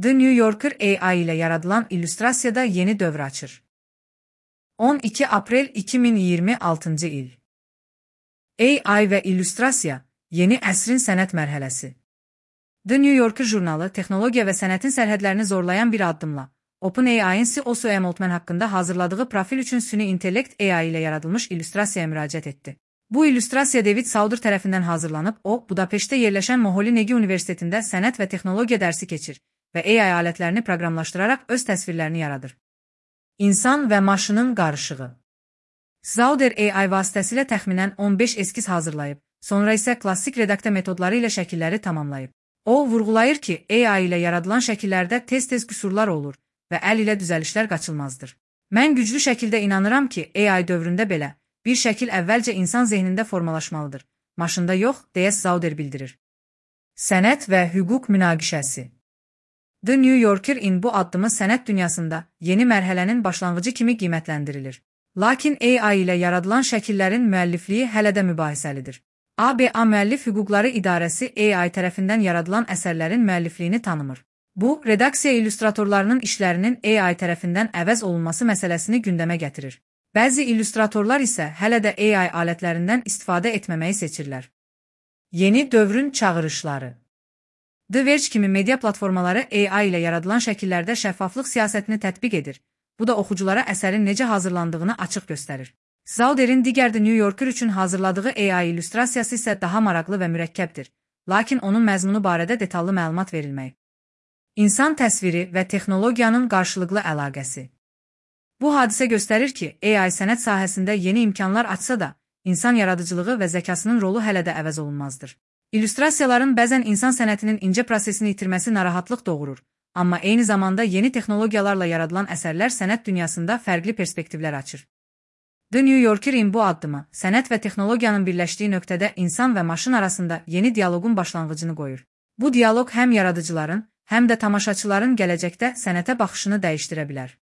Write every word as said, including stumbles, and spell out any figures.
The New Yorker A I ile yaradılan illüstrasiyada yeni dövr açır. on iki Aprel iki min iyirmi altıncı il. A I və illüstrasiya, yeni əsrin sənət mərhələsi. The New Yorker jurnalı texnologiya və sənətin sərhədlərini zorlayan bir addımla, OpenAI'nin C E O Sam Altman haqqında hazırladığı profil üçün süni intellekt A I ilə yaradılmış illüstrasiyaya müraciət etdi. Bu illüstrasiya David Sauder tərəfindən hazırlanıb, o, Budapeştdə yerləşən Moholy Nagy Universitetində sənət və texnologiya dərsi keçir və A I alətlərini proqramlaşdıraraq öz təsvirlərini yaradır. İnsan və maşının qarışığı. Sauder A I vasitəsilə təxminən on beş eskiz hazırlayıb, sonra isə klassik redaktə metodları ilə şəkilləri tamamlayıb. O, vurğulayır ki, A I ilə yaradılan şəkillərdə tez-tez qüsurlar olur və əl ilə düzəlişlər qaçılmazdır. Mən güclü şəkildə inanıram ki, A I dövründə belə, bir şəkil əvvəlcə insan zehnində formalaşmalıdır, maşında yox, deyə Sauder bildirir. Sənət və hüquq münaqişəsi. The New Yorker-in bu addımı sənət dünyasında yeni mərhələnin başlanğıcı kimi qiymətləndirilir. Lakin A I ilə yaradılan şəkillərin müəllifliyi hələ də mübahisəlidir. A B A Müəllif Hüquqları İdarəsi A I tərəfindən yaradılan əsərlərin müəllifliyini tanımır. Bu, redaksiya illüstratorlarının işlərinin A I tərəfindən əvəz olunması məsələsini gündəmə gətirir. Bəzi illüstratorlar isə hələ də A I alətlərindən istifadə etməməyi seçirlər. Yeni dövrün çağırışları. The Verge kimi media platformaları A I ilə yaradılan şəkillərdə şəffaflıq siyasətini tətbiq edir. Bu da oxuculara əsərin necə hazırlandığını açıq göstərir. Sauder'in digər The New Yorker üçün hazırladığı A I illüstrasiyası isə daha maraqlı və mürəkkəbdir, lakin onun məzmunu barədə detallı məlumat verilməyib. İnsan təsviri və texnologiyanın qarşılıqlı əlaqəsi. Bu hadisə göstərir ki, A I sənət sahəsində yeni imkanlar açsa da, insan yaradıcılığı və zəkasının rolu hələ də əvəz olunmazdır. İllüstrasiyaların bəzən insan sənətinin incə prosesini itirməsi narahatlıq doğurur, amma eyni zamanda yeni texnologiyalarla yaradılan əsərlər sənət dünyasında fərqli perspektivlər açır. The New Yorker-in bu addımı, sənət və texnologiyanın birləşdiyi nöqtədə insan və maşın arasında yeni dialoqun başlanğıcını qoyur. Bu dialoq həm yaradıcıların, həm də tamaşaçıların gələcəkdə sənətə baxışını dəyişdirə bilər.